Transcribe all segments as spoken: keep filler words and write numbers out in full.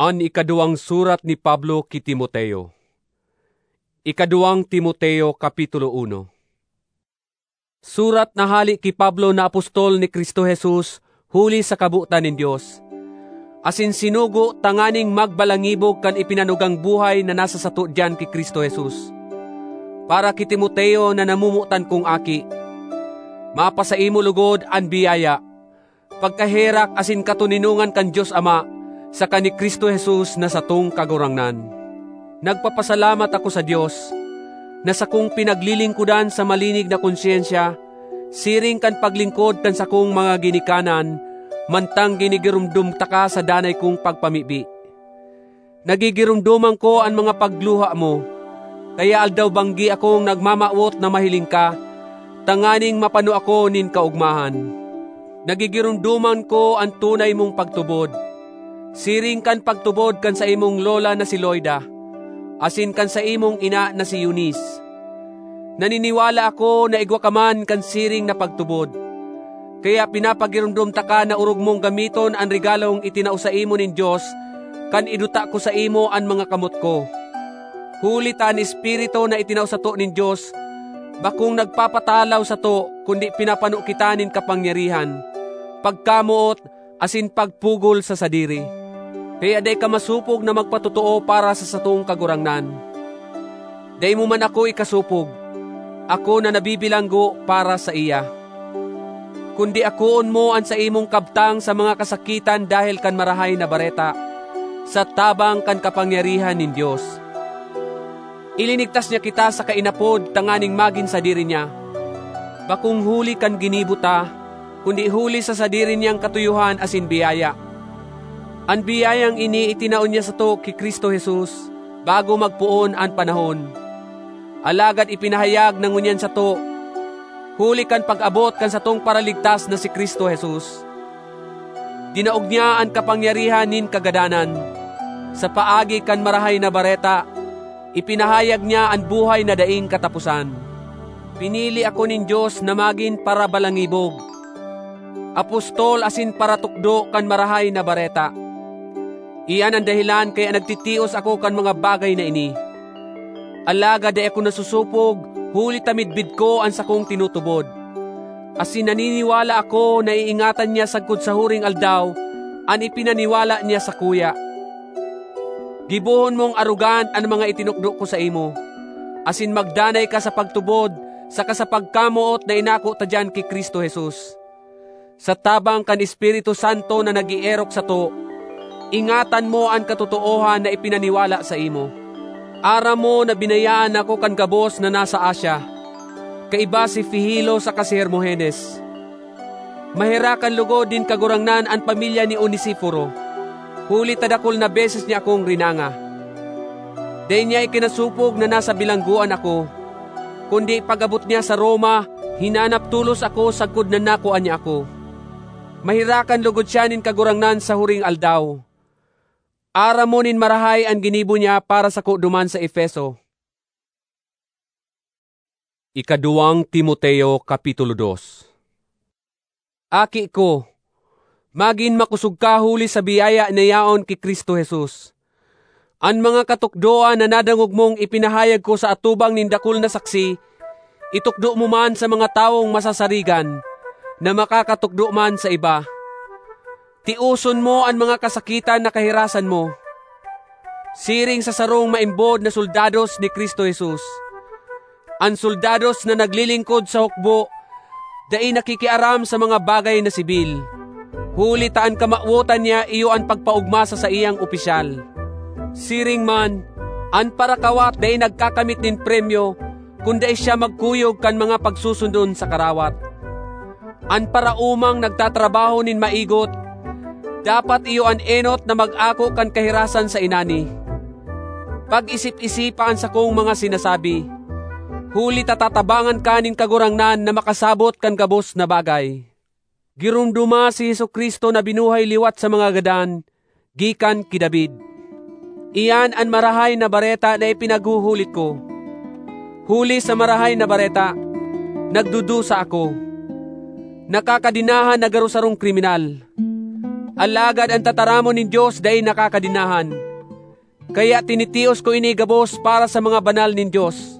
An ikaduwang surat ni Pablo ki Timoteo. Ikaduwang Timoteo, Kapitulo uno. Surat na hale ki Pablo na apostol ni Cristo Jesus huli sa kabotan nin Dios, asin sinugo tanganing magbalangibog kan ipinanugang buhay na nasa sato diyan ki Cristo Jesus, para ki Timoteo na namomotan kong aki. Mapasaimo logod an biyaya, pagkaherak asin katoninongan kan Dios Ama saka ni Cristo Jesus na satong Kagurangnan. Nagpapasalamat ako sa Dios, na sakong pinaglilingkodan sa malinig na konsyensya, siring kan paglingkod kan sakong mga ginikanan, mantang ginigiromdom taka sa danay kong pagpamibi. Nagigiromdoman ko an mga pagluha mo, kaya aldaw-banggi akong nagmamawot na mahiling ka, tanganing mapano ako nin kaogmahan. Nagigiromdoman ko an tunay mong pagtubod, siring kan pagtubod kan saimong lola na si Loida, asin kan saimong ina na si Eunice. Naniniwala ako na igwa ka man kan siring na pagtubod. Kaya pinapagiromdom taka na orog mong gamiton an regalong itinao saimo nin Dios kan iduta ko saimo an mga kamot ko. Huli ta an Espiritu na itinao sato nin Dios bakong nagpapatalaw sato, kundi pinapano kita nin kapangyarihan, pagkamoot, asin pagpugol sa sadiri. Kaya dai ka masopog na magpatotoo para sa satong Kagurangnan. Dai mo man ako ikasopog, ako na nabibilanggo para saiya. Kundi akoon mo an saimong kabtang sa mga kasakitan dahel kan Marahay na Bareta, sa tabang kan kapangyarihan nin Dios. Ilinigtas niya kita sa kainapod tanganing magin sadiri niya, bakong huli kan ginibo ta, kundi huli sa sadiri niyang katuyohan asin biyaya. An biyayang ini itinao niya sato ki Cristo Jesus bago magpoon an panahon. Alagad ipinahayag na ngunyan sato, huli kan pag-abot kan satong Paraligtas na si Cristo Jesus. Dinaog niya an kapangyarihan nin kagadanan. Sa paagi kan Marahay na Bareta, ipinahayag niya an buhay na daing kataposan. Pinili ako nin Dios na magin parabalangibog, apostol asin paratukdo kan Marahay na Bareta. Iyan an dahelan kaya nagtitios ako kan mga bagay na ini. Alagad dai ako nasusopog, huli ta midbid ko an sakong tinutubod. Asin naniniwala ako na iingatan niya sagkod sa huring aldaw an ipinaniwala niya sakuya. Gibohon mong arogan an mga itinukdo ko saimo, asin magdanay ka sa pagtubod saka sa pagkamoot na inako ta diyan ki Cristo Jesus. Sa tabang kan Espiritu Santo na nag-eerok sato, ingatan mo an katotoohan na ipinaniwala saimo. Aram mo na binayaan ako kan gabos na nasa Asia, kaiba si Figelo saka si Hermogenes. Maherakan logod nin Kagurangnan an pamilya ni Onesiforo, huli ta dakul na beses niya akong rinanga. Dai niya ikinasopog na nasa bilanggoan ako, kundi pag-abot niya sa Roma, hinanap tolos ako sagkod na nakua niya ako. Maherakan logod siya nin Kagurangnan sa huring aldaw. Aram mo nin marahay an ginibo niya para sako duman sa Efeso. Ikaduwang Timoteo, Kapitulo dos. Aki ko, magin makosog ka huli sa biyaya na yaon ki Cristo Jesus. An mga katukdoan na nadangog mong ipinahayag ko sa atubang nin dakul na saksi, itukdo mo man sa mga tawong masasarigan, na makakatukdo man sa iba. Tioson mo an mga kasakitan na kahirasan mo, siring sa sarong maimbod na soldados ni Cristo Jesus. An soldados na naglilingkod sa hukbo dai nakikiaram sa mga bagay na sibil, huli ta an kamawotan niya iyo an pagpaogma sa saiyang opisyal. Siring man, an parakawat dai nagkakamit nin premyo kun dai siya magkuyog kan mga pagsusundon sa karawat. An paraomang nagtatrabaho nin maigot, dapat iyo an enot na mag-ako kan kahirasan sa inani. Pag-isip-isipa an sakong mga sinasabi, huli ta tatabangan ka nin Kagurangnan na makasabot kan gabos na bagay. Giromdoma si Jesu-Cristo na binuhay liwat sa mga gadan, gikan ki David. Iyan an Marahay na Bareta na ipinaghuhulit ko. Huli sa Marahay na Bareta, nagdudusa ako. Nakakadenahan na garo sarong kriminal. Alagad an tataramon nin Dios dai nakakadenahan. Kaya tinitios ko ini gabos para sa mga banal nin Dios,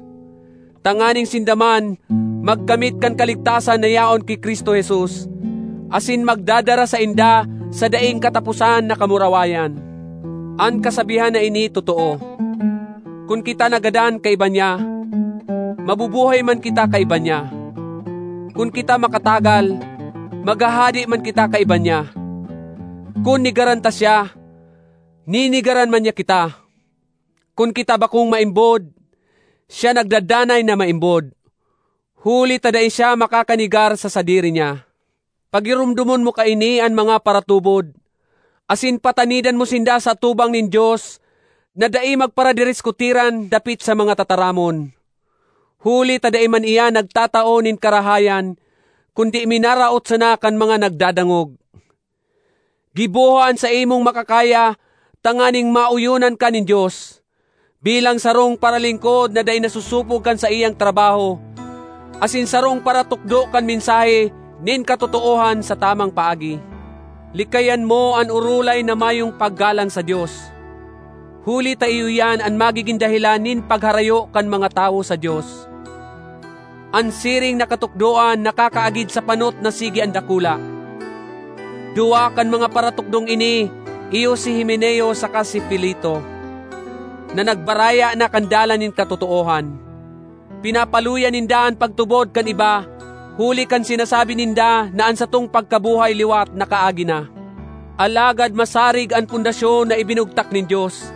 tanganing sinda man magkamit kan kaligtasan na yaon ki Cristo Jesus, asin magdadara sainda sa daing kataposan na kamurawayan. An kasabihan na ini totoo: kun kita nagadan kaiba niya, mabubuhay man kita kaiba niya. Kun kita makatagal, maghahade man kita kaiba niya. Kun nigaran ta siya, ninigaran man niya kita. Kun kita bakong maimbod, siya nagdadanay na maimbod, huli ta dai siya makakanigar sa sadiri niya. Pagiromdomon mo kaini an mga paratubod, asin patanidan mo sinda sa atubang nin Dios na dai magparadiriskutiran dapit sa mga tataramon. Huli ta dai man iyan nagtatao nin karahayan, kundi minaraot sana kan mga nagdadangog. Giboha an saimong makakaya tanganing maoyonan ka nin Dios, bilang sarong paralingkod na dai nasusupog kan saiyang trabaho, asin sarong paratukdo kan mensahe nin katotoohan sa tamang paagi. Likayan mo an orolay na mayong paggalang sa Dios, huli ta iyo iyan an magigin dahelan nin pagharayo kan mga tawo sa Dios. An siring na katukdoan nakakaagid sa panot na sige an dakula. Duwa kan mga paratukdong ini iyo si Himeneo saka si Fileto, na nagbaraya na kan dalan nin katotoohan. Pinapaluya ninda an pagtubod kan iba, huli kan sinasabi ninda na an satong pagkabuhay liwat nakaagi na. Alagad masarig an pundasyon na ibinugtak nin Dios,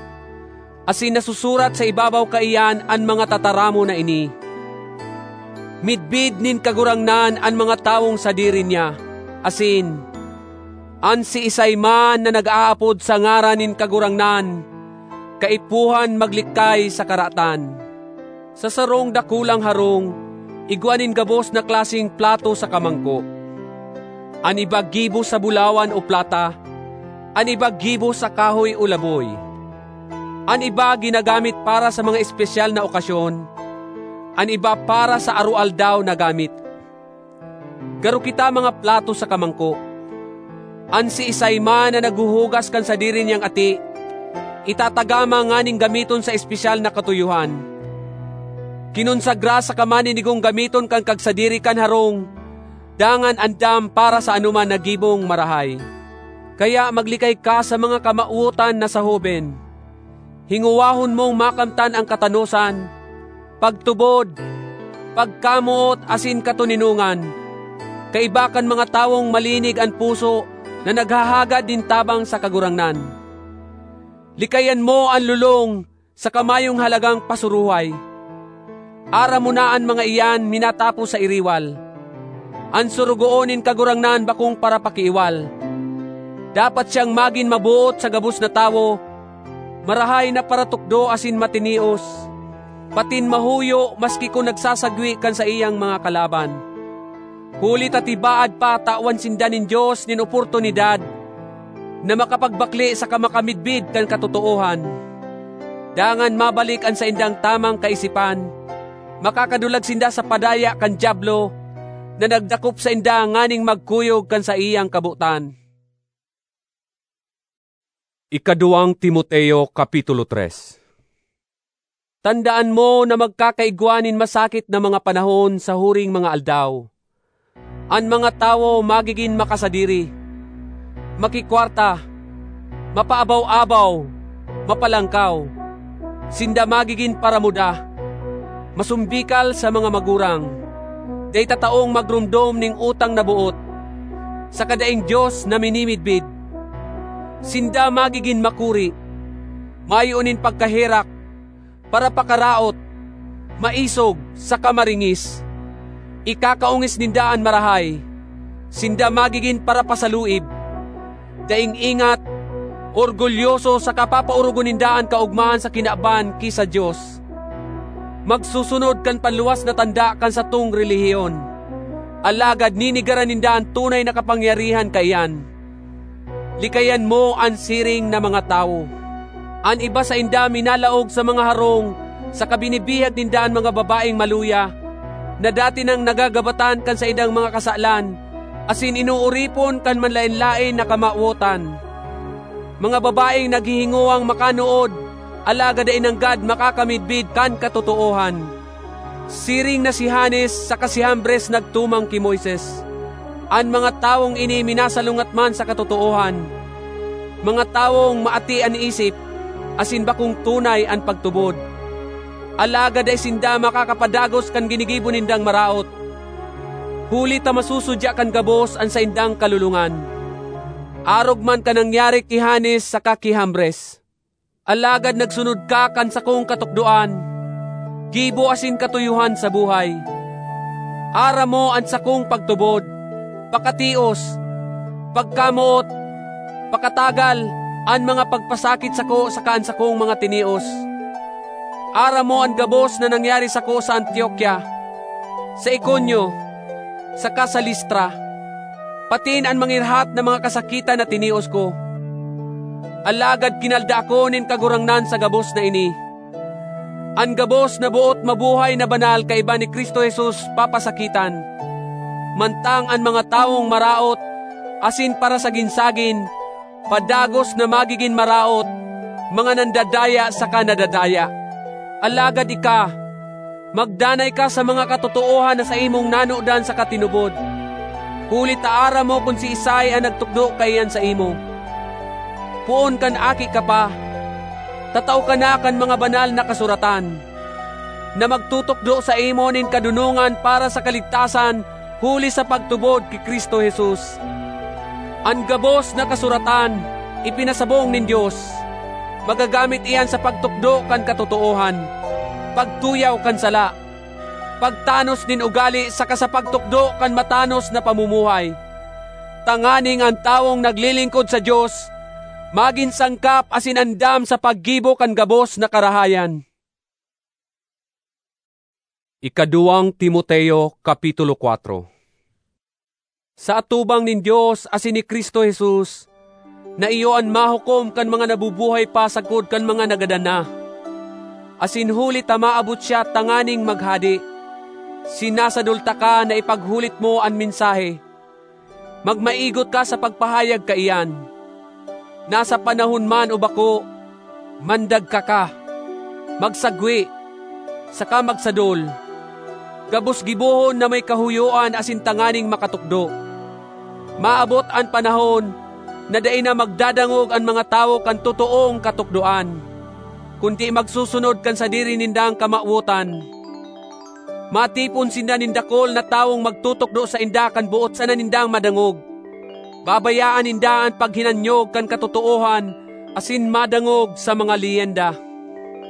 asin nasusurat sa ibabaw kaiyan an mga tataramon na ini. Midbid nin Kagurangnan an mga tawong sadiri niya, asin an siisay man na nag-aapod sa ngaran nin Kagurangnan, kaipuhan maglikay sa karatan. Sa sarong dakulang harong, igwa nin gabos na klaseng plato saka mangko. An iba gibo sa bulawan o plata, an iba gibo sa kahoy o laboy. An iba ginagamit para sa mga espesyal na okasyon, an iba para sa aroaldaw na gamit. Garo kita mga plato saka mangko. An siisay man na naghuhugas kan sadiri niyang ati, itatagama nganing gamiton sa espesyal na katuyohan. Kinonsagra saka maninigong gamiton kan kagsadiri kan harong, dangan andam para sa anoman na gibong marahay. Kaya maglikay ka sa mga kamawotan na sa hoben. Hingowahon mong makamtan an katanosan, pagtubod, pagkamoot asin katoninongan, kaiba kan mga tawong malinig an puso na naghahagad nin tabang sa Kagurangnan. Likayan mo an lolong saka mayong halagang pasuruhay. Aram mo na an mga iyan minatapo sa iriwal. An sorogoon nin Kagurangnan bakong parapakiiwal. Dapat siyang magin maboot sa gabos na tawo, marahay na paratukdo asin matinios, patin mahuyo maski kun nagsasagwe kan saiyang mga kalaban. Huli ta tibaad pa tawan sinda nin Dios nin oportunidad na makapagbakle saka makamidbid kan katotoohan. Dangan mabalik an saindang tamang kaisipan, makakadulag sinda sa padaya kan Diablo na nagdakop sainda nganing magkuyog kan saiyang kabotan. Ikaduwang Timoteo, Kapitulo tres. Tandaan mo na magkakaigwa nin masakit na mga panahon sa huring mga aldaw. An mga tawo magigin makasadiri, makikwarta, mapaabaw-abaw, mapalangkaw. Sinda magigin paramuda, masumbikal sa mga magurang, dai tataong magromdom nin utang na boot, saka daing Dios na minimidbid. Sinda magigin makuri, mayo nin pagkaherak, parapakaraot, maisog, saka maringis. Ikakaongis ninda an marahay. Sinda magigin parapasaluib, daing ingat, orgulyoso, saka papaorogon ninda an kaogmahan sa kinaban ki sa Dios. Magsusunod kan panluwas na tanda kan satong relihiyon, alagad ninigaran ninda an tunay na kapangyarihan kaiyan. Likayan mo an siring na mga tawo. An iba sainda minalaog sa mga harong saka binibihag ninda an mga babaeng maluya na dati nang nagagabatan kan saindang mga kasalan asin inooripon kan manlaen-laen na kamawotan. Mga babaeng naghihingowang makanood, alagad dai nanggad makakamidbid kan katotoohan. Siring na si Janes saka si Jambres nagtumang ki Moises. An mga tawong ini minasalungat man sa katotoohan, mga tawong maati an isip, asin bakong tunay an pagtubod. Alagad dai sinda makakapadagos kan ginigibo nindang maraot, huli ta masusudya kan gabos an saindang kalolongan. Arog man kan nangyari ki Janes saka ki Jambres. Alagad nagsunod ka kan sakong katukdoan, gibo asin katuyohan sa buhay. Aram mo an sakong pagtubod, pakatios, pagkamoot, pakatagal, an mga pagpasakit sako saka an sakong mga tinios. Aram mo an gabos na nangyari sako sa Antiokia, sa Iconio, saka sa Listra, patin an mangirhat na mga kasakitan na tinios ko. Alagad kinalda ako nin Kagurangnan sa gabos na ini. An gabos na boot mabuhay na banal kaiba ni Cristo Jesus papasakitan, mantang an mga tawong maraot asin parasagin-sagin padagos na magigin maraot, mga nandadaya saka nadadaya. Alagad ika, magdanay ka sa mga katotoohan na saimong nanodan saka tinubod, huli ta aram mo kun siisay an nagtukdo kaiyan saimo. Poon kan aki ka pa, tatao ka na kan mga banal na kasuratan, na magtutukdo saimo nin kadonongan para sa kaligtasan huli sa pagtubod ki Cristo Jesus. An gabos na kasuratan ipinasabong nin Dios. Magagamit iyan sa pagtukdo kan katotoohan, pagtuyaw kan sala, pagtanos nin ugali saka sa pagtukdo kan matanos na pamumuhay, tanganing an tawong naglilingkod sa Dios magin sangkap asin andam sa paggibo kan gabos na karahayan. Ikaduwang Timoteo, Kapitulo kuwatro. Sa atubang nin Dios asin ni Cristo Jesus, na iyo an mahukom kan mga nabubuhay pa sagkod kan mga nagadan na, asin huli ta maabot siya tanganing maghade, sinasadol taka na ipaghulit mo an mensahe. Magmaigot ka sa pagpahayag kaiyan. Nasa panahon man o bako, mandagka ka, magsagwe, saka magsadol. Gabos gibohon na may kahuyoan asin tanganing makatukdo. Maabot an panahon na dai na magdadangog an mga tawo kan totoong katukdoan, kundi magsusunod kan sadiri nindang kamawotan. Matipon sinda nin dakul na tawong magtutukdo sainda kan boot sana nindang madangog. Babayaan ninda an paghinanyog kan katotoohan asin madangog sa mga leyenda.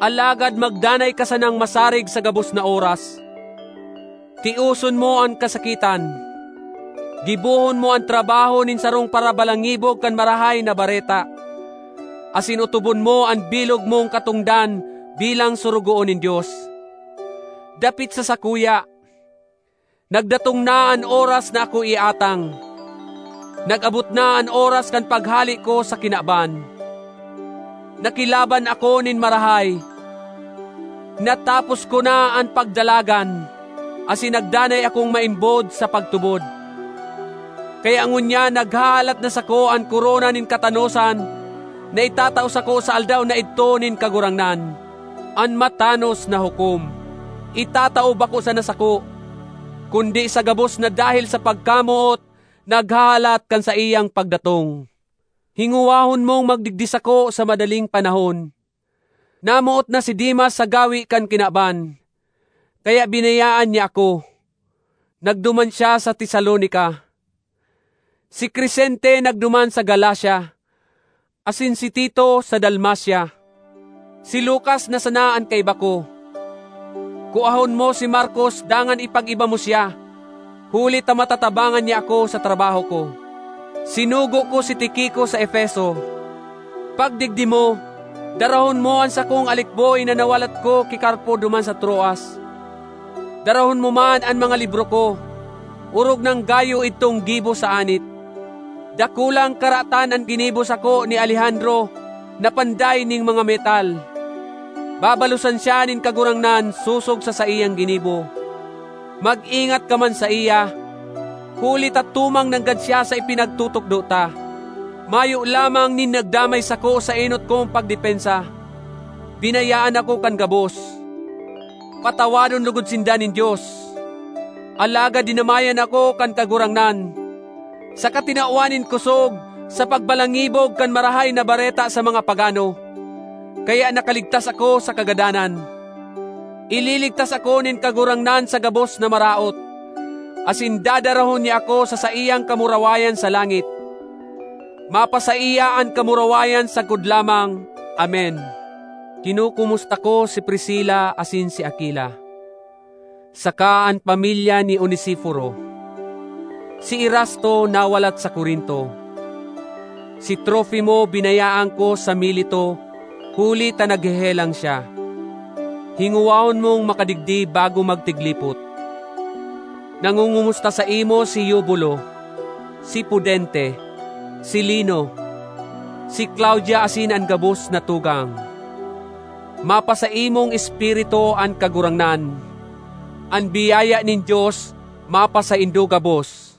Alagad magdanay ka sanang masarig sa gabos na oras. Tioson mo an kasakitan. Gibohon mo an trabaho nin sarong parabalangibog kan Marahay na Bareta, asin otobon mo an bilog mong katongdan bilang sorogoon nin Dios. Dapit sa sakuya, nagdatong na an oras na ako iatang. Nag-abot na an oras kan paghale ko sa kinaban. Nakilaban ako nin marahay. Natapos ko na an pagdalagan, asin nagdanay akong maimbod sa pagtubod. Kaya ngunyan naghahalat na sako an korona nin katanosan na itatao sako sa aldaw na idto nin Kagurangnan, an matanos na hukom. Itatao bako sana sako, kundi sa gabos na dahil sa pagkamoot, naghahalat kan saiyang pagdatong. Hingowahon mong magdigdi sako sa madaling panahon. Namoot na si Demas sa gawi kan kinaban, kaya binayaan niya ako. Nagduman siya sa Tesalonica. Si Crescente nagduman sa Galacia, asin si Tito sa Dalmacia. Si Lucas na sana an kaiba ko. Kuahon mo si Marcos dangan ipag-iba mo siya, huli ta matatabangan niya ako sa trabaho ko. Sinugo ko si Tiquico sa Efeso. Pagdigdi mo, darahon mo an sakong alikboy na nawalat ko ki Carpo duman sa Troas. Darahon mo man an mga libro ko, orog nang gayo idtong gibo sa anit. Dakulang karatan an ginibo sako ni Alejandro na panday nin mga metal. Babalosan siya nin Kagurangnan sosog sa saiyang ginibo. Mag-ingat ka man saiya, huli ta tumang nanggad siya sa ipinagtutukdo ta. Mayo lamang nin nagdamay sako sa enot kong pagdepensa. Binayaan ako kan gabos. Patawadon logod sinda nin Dios. Alagad dinamayan ako kan Kagurangnan, saka tinawan nin kosog sa pagbalangibog kan Marahay na Bareta sa mga pagano. Kaya nakaligtas ako sa kagadanan. Ililigtas ako nin Kagurangnan sa gabos na maraot, asin dadarahon niya ako sa saiyang kamurawayan sa langit. Mapasaiya an kamurawayan sagkod lamang. Amen. Kinukumusta ko si Priscila asin si Aquila, saka an pamilya ni Onesiforo. Si Erasto nawalat sa Corinto. Si Trofimo binayaan ko sa Mileto, huli ta naghehelang siya. Hingowahon mong makadigdi bago magtiglipot. Nangungumusta saimo si Eubulo, si Pudente, si Lino, si Claudia asin an gabos na tugang. Mapasaimong espiritu an Kagurangnan. An biyaya nin Dios mapasaindo gabos.